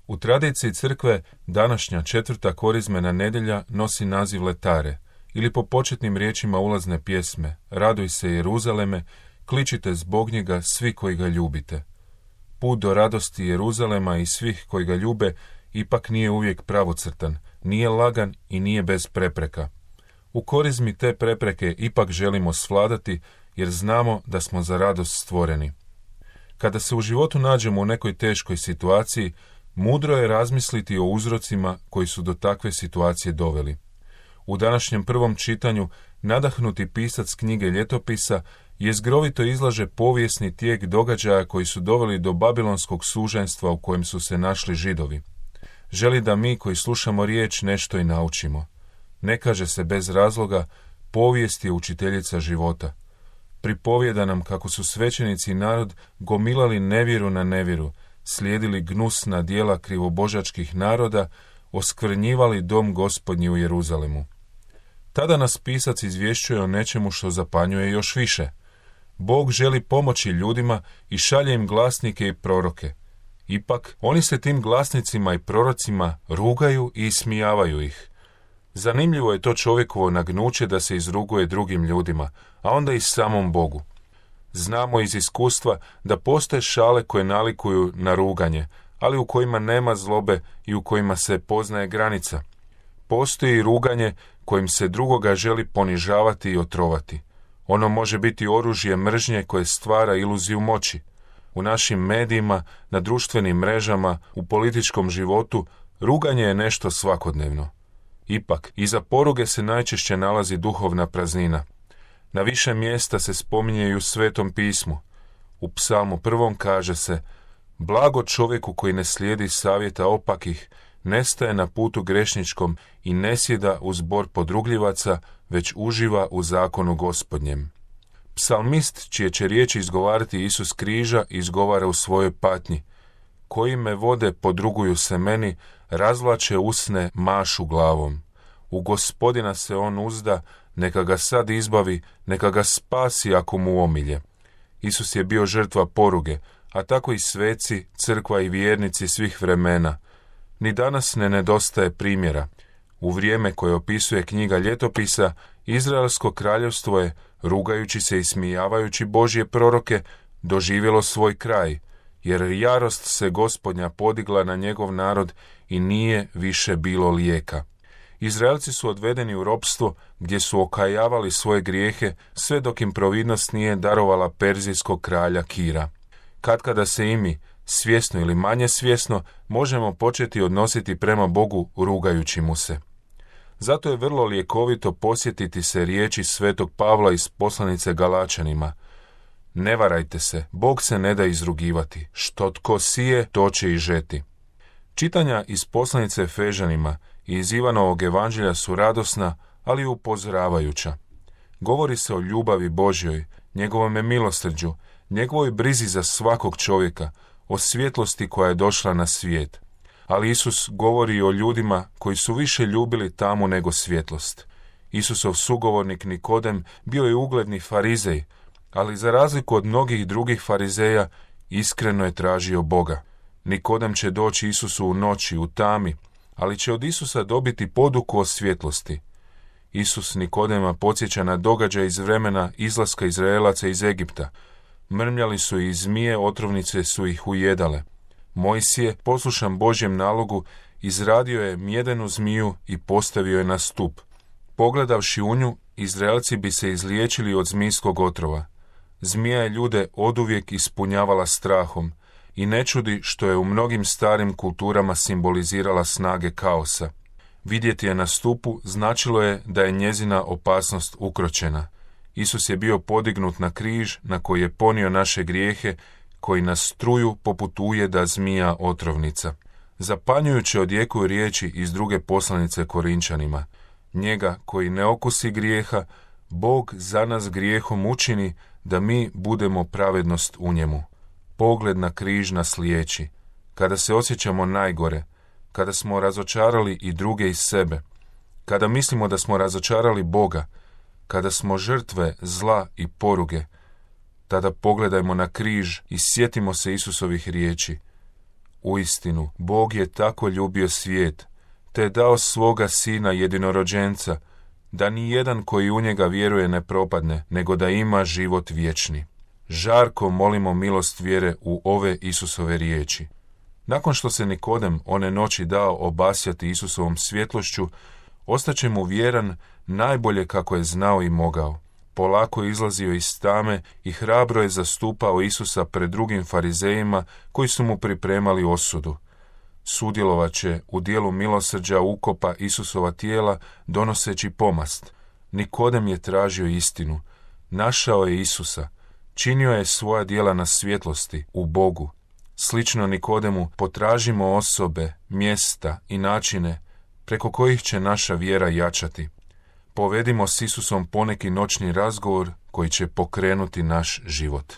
U tradiciji crkve današnja 4. korizmena nedjelja nosi naziv letare, ili po početnim riječima ulazne pjesme: Raduj se Jeruzaleme, kličite zbog njega svi koji ga ljubite. Put do radosti Jeruzalema i svih koji ga ljube ipak nije uvijek pravocrtan, nije lagan i nije bez prepreka. U korizmi te prepreke ipak želimo svladati jer znamo da smo za radost stvoreni. Kada se u životu nađemo u nekoj teškoj situaciji, mudro je razmisliti o uzrocima koji su do takve situacije doveli. U današnjem prvom čitanju nadahnuti pisac knjige Ljetopisa jezgrovito izlaže povijesni tijek događaja koji su doveli do babilonskog suženstva u kojem su se našli Židovi. Želi da mi koji slušamo riječ nešto i naučimo. Ne kaže se bez razloga, povijest je učiteljica života. Pripovijeda nam kako su svećenici i narod gomilali nevjeru na nevjeru, slijedili gnusna djela krivobožačkih naroda, oskvrnjivali dom Gospodnji u Jeruzalemu. Tada nas pisac izvješćuje o nečemu što zapanjuje još više. Bog želi pomoći ljudima i šalje im glasnike i proroke. Ipak, oni se tim glasnicima i prorocima rugaju i ismijavaju ih. Zanimljivo je to čovjekovo nagnuće da se izruguje drugim ljudima, a onda i samom Bogu. Znamo iz iskustva da postoje šale koje nalikuju na ruganje, ali u kojima nema zlobe i u kojima se poznaje granica. Postoji ruganje kojim se drugoga želi ponižavati i otrovati. Ono može biti oružje mržnje koje stvara iluziju moći. U našim medijima, na društvenim mrežama, u političkom životu, ruganje je nešto svakodnevno. Ipak, iza poruge se najčešće nalazi duhovna praznina. Na više mjesta se spominje i u Svetom pismu. U Psalmu 1. kaže se: Blago čovjeku koji ne slijedi savjeta opakih, ne staje na putu grešničkom i ne sjeda u zbor podrugljivaca, već uživa u zakonu Gospodnjem. Psalmist, čije će riječi izgovarati Isus križa, izgovara u svojoj patnji: Koji me vode podruguju se meni, razvlače usne, mašu glavom. U Gospodina se on uzda, neka ga sad izbavi, neka ga spasi ako mu omilje. Isus je bio žrtva poruge, a tako i sveci, crkva i vjernici svih vremena. Ni danas ne nedostaje primjera. U vrijeme koje opisuje knjiga Ljetopisa, Izraelsko kraljevstvo je, rugajući se i smijavajući Božje proroke, doživjelo svoj kraj, jer jarost se Gospodnja podigla na njegov narod i nije više bilo lijeka. Izraelci su odvedeni u ropstvo gdje su okajavali svoje grijehe sve dok im providnost nije darovala perzijskog kralja Kira. Katkada se i mi, svjesno ili manje svjesno, možemo početi odnositi prema Bogu rugajući mu se. Zato je vrlo ljekovito posjetiti se riječi svetog Pavla iz poslanice Galačanima: Ne varajte se, Bog se ne da izrugivati, što tko sije, to će i žeti. Čitanja iz poslanice Efežanima i iz Ivanovog evanđelja su radosna, ali i upozoravajuća. Govori se o ljubavi Božjoj, njegovome milosrđu, njegovoj brizi za svakog čovjeka, o svjetlosti koja je došla na svijet. Ali Isus govori o ljudima koji su više ljubili tamu nego svjetlost. Isusov sugovornik Nikodem bio je ugledni farizej, ali za razliku od mnogih drugih farizeja, iskreno je tražio Boga. Nikodem će doći Isusu u noći, u tami, ali će od Isusa dobiti poduku o svjetlosti. Isus Nikodema podsjeća na događaj iz vremena izlaska Izraelaca iz Egipta. Mrmljali su i zmije, otrovnice su ih ujedale. Mojsije, poslušan Božjem nalogu, izradio je mjedenu zmiju i postavio je na stup. Pogledavši u nju, Izraelci bi se izliječili od zmijskog otrova. Zmija je ljude oduvijek ispunjavala strahom i ne čudi što je u mnogim starim kulturama simbolizirala snage kaosa. Vidjeti je na stupu značilo je da je njezina opasnost ukročena. Isus je bio podignut na križ na koji je ponio naše grijehe, koji nas truju poput ujeda zmija otrovnica. Zapanjujuće odjekuju riječi iz druge poslanice Korinčanima: Njega koji ne okusi grijeha, Bog za nas grijehom učini da mi budemo pravednost u njemu. Pogled na križ nas liječi. Kada se osjećamo najgore, kada smo razočarali i druge i sebe, kada mislimo da smo razočarali Boga, kada smo žrtve zla i poruge, tada pogledajmo na križ i sjetimo se Isusovih riječi: Uistinu, Bog je tako ljubio svijet, te je dao svoga sina jedinorođenca, da ni jedan koji u njega vjeruje ne propadne, nego da ima život vječni. Žarko molimo milost vjere u ove Isusove riječi. Nakon što se Nikodem one noći dao obasjati Isusovom svjetlošću, ostaće mu vjeran najbolje kako je znao i mogao. Polako je izlazio iz tame i hrabro je zastupao Isusa pred drugim farizejima koji su mu pripremali osudu. Sudjelovat će u dijelu milosrđa ukopa Isusova tijela donoseći pomast. Nikodem je tražio istinu, našao je Isusa, činio je svoja djela na svjetlosti, u Bogu. Slično Nikodemu potražimo osobe, mjesta i načine preko kojih će naša vjera jačati. Povedimo s Isusom poneki noćni razgovor koji će pokrenuti naš život.